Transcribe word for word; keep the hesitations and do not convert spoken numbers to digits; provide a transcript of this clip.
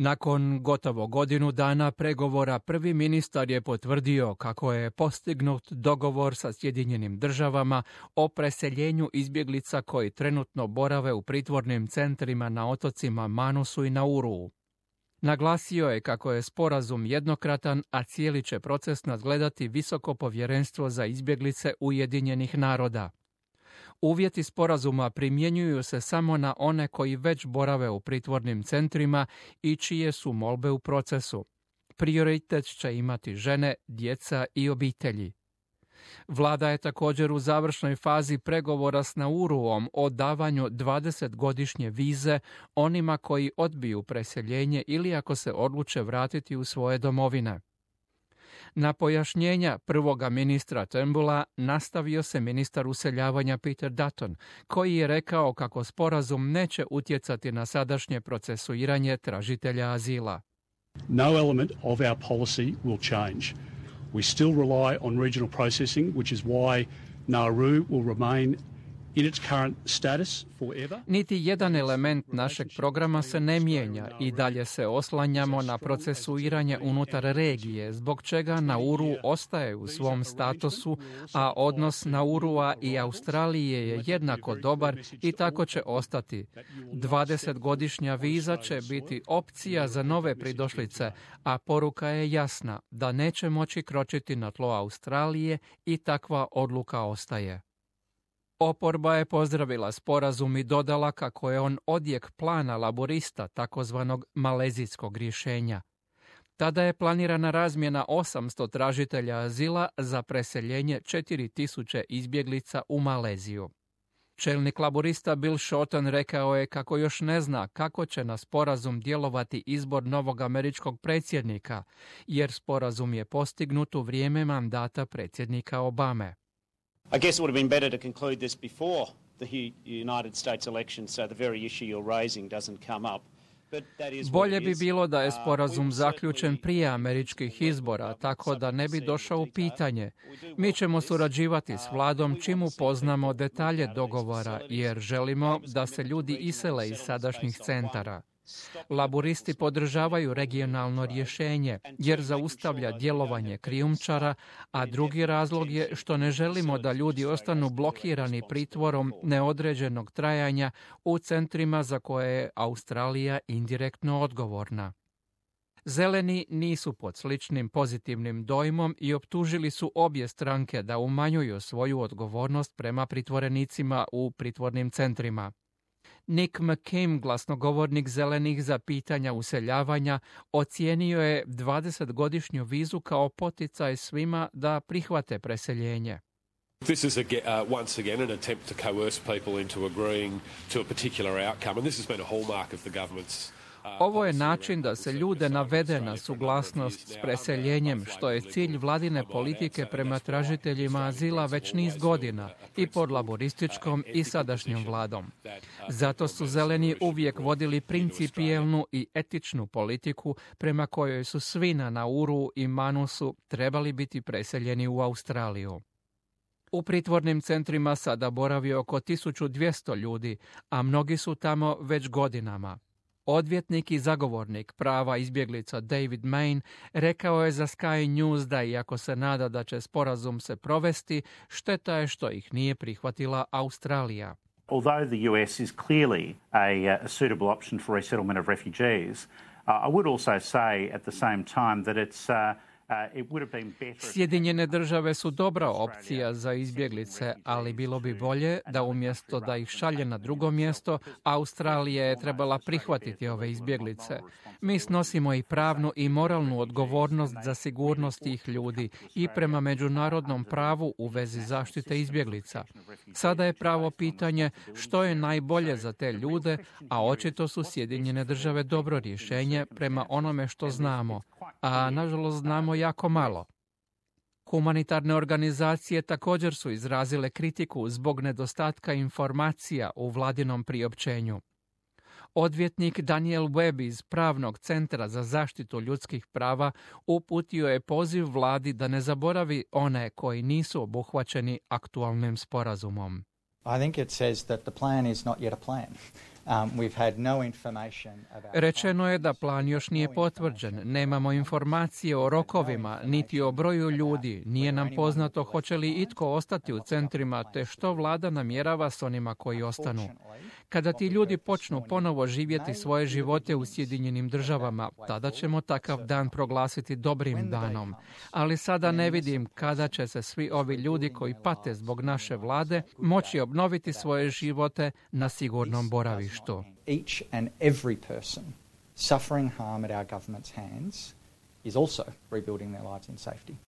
Nakon gotovo godinu dana pregovora, prvi ministar je potvrdio kako je postignut dogovor sa Sjedinjenim državama o preseljenju izbjeglica koji trenutno borave u pritvornim centrima na otocima Manusu i Nauruu. Naglasio je kako je sporazum jednokratan, a cijeli će proces nadgledati Visoko povjerenstvo za izbjeglice Ujedinjenih naroda. Uvjeti sporazuma primjenjuju se samo na one koji već borave u pritvornim centrima i čije su molbe u procesu. Prioritet će imati žene, djeca i obitelji. Vlada je također u završnoj fazi pregovora s Nauruom o davanju dvadesetgodišnje vize onima koji odbiju preseljenje ili ako se odluče vratiti u svoje domovine. Na pojašnjenja prvoga ministra Turnbulla nastavio se ministar useljavanja Peter Dutton, koji je rekao kako sporazum neće utjecati na sadašnje procesuiranje tražitelja azila. No element of our policy will change. We still rely on regional processing, which is why Nauru will remain in its current status forever. Niti jedan element našeg programa se ne mijenja i dalje se oslanjamo na procesuiranje unutar regije, zbog čega Nauru ostaje u svom statusu, a odnos Naurua i Australije je jednako dobar i tako će ostati. dvadesetgodišnja viza će biti opcija za nove pridošlice, a poruka je jasna da neće moći kročiti na tlo Australije i takva odluka ostaje. Oporba je pozdravila sporazum i dodala kako je on odjek plana laborista, takozvanog malezijskog rješenja. Tada je planirana razmjena osamsto tražitelja azila za preseljenje četiri tisuće izbjeglica u Maleziju. Čelnik laborista Bill Shorten rekao je kako još ne zna kako će na sporazum djelovati izbor novog američkog predsjednika, jer sporazum je postignut u vrijeme mandata predsjednika Obame. I guess it would have been better to conclude this before the United States election so the very issue you're raising doesn't come up. Bolje bi bilo da je sporazum zaključen prije američkih izbora, tako da ne bi došao u pitanje. Mi ćemo surađivati s vladom čim upoznamo detalje dogovora, jer želimo da se ljudi isele iz sadašnjih centara. Laburisti podržavaju regionalno rješenje jer zaustavlja djelovanje krijumčara, a drugi razlog je što ne želimo da ljudi ostanu blokirani pritvorom neodređenog trajanja u centrima za koje je Australija indirektno odgovorna. Zeleni nisu pod sličnim pozitivnim dojmom i optužili su obje stranke da umanjuju svoju odgovornost prema pritvorenicima u pritvornim centrima. Nick McCain, glasnogovornik Zelenih za pitanja useljavanja, ocijenio je dvadesetgodišnju vizu kao poticaj svima da prihvate preseljenje. This is a, uh, once again an attempt to coerce people into agreeing to a particular outcome, and this has been a hallmark of the government's. Ovo je način da se ljude navede na suglasnost s preseljenjem, što je cilj vladine politike prema tražiteljima azila već niz godina i pod laborističkom i sadašnjom vladom. Zato su Zeleni uvijek vodili principijelnu i etičnu politiku prema kojoj su svi na Nauru i Manusu trebali biti preseljeni u Australiju. U pritvornim centrima sada boravi oko tisuću dvjesto ljudi, a mnogi su tamo već godinama. Odvjetnik i zagovornik prava izbjeglica David Main rekao je za Sky News da iako se nada da će sporazum se provesti, šteta je što ih nije prihvatila Australija. Although the U S is clearly a, a suitable option for resettlement of refugees, uh, I would also say at the same time that it's uh, Sjedinjene države su dobra opcija za izbjeglice, ali bilo bi bolje da umjesto da ih šalje na drugo mjesto, Australija je trebala prihvatiti ove izbjeglice. Mi snosimo i pravnu i moralnu odgovornost za sigurnost tih ljudi i prema međunarodnom pravu u vezi zaštite izbjeglica. Sada je pravo pitanje što je najbolje za te ljude, a očito su Sjedinjene države dobro rješenje prema onome što znamo, a nažalost znamo jako malo. Humanitarne organizacije također su izrazile kritiku zbog nedostatka informacija u vladinom priopćenju. Odvjetnik Daniel Webb iz Pravnog centra za zaštitu ljudskih prava uputio je poziv vladi da ne zaboravi one koji nisu obuhvaćeni aktualnim sporazumom. I think it says that the plan is not yet a plan. Rečeno je da plan još nije potvrđen, nemamo informacije o rokovima, niti o broju ljudi, nije nam poznato hoće li itko ostati u centrima, te što vlada namjerava s onima koji ostanu. Kada ti ljudi počnu ponovo živjeti svoje živote u Sjedinjenim državama, tada ćemo takav dan proglasiti dobrim danom. Ali sada ne vidim kada će se svi ovi ljudi koji pate zbog naše vlade moći obnoviti svoje živote na sigurnom boravištu. Each and every person suffering harm at our government's hands is also rebuilding their lives in safety.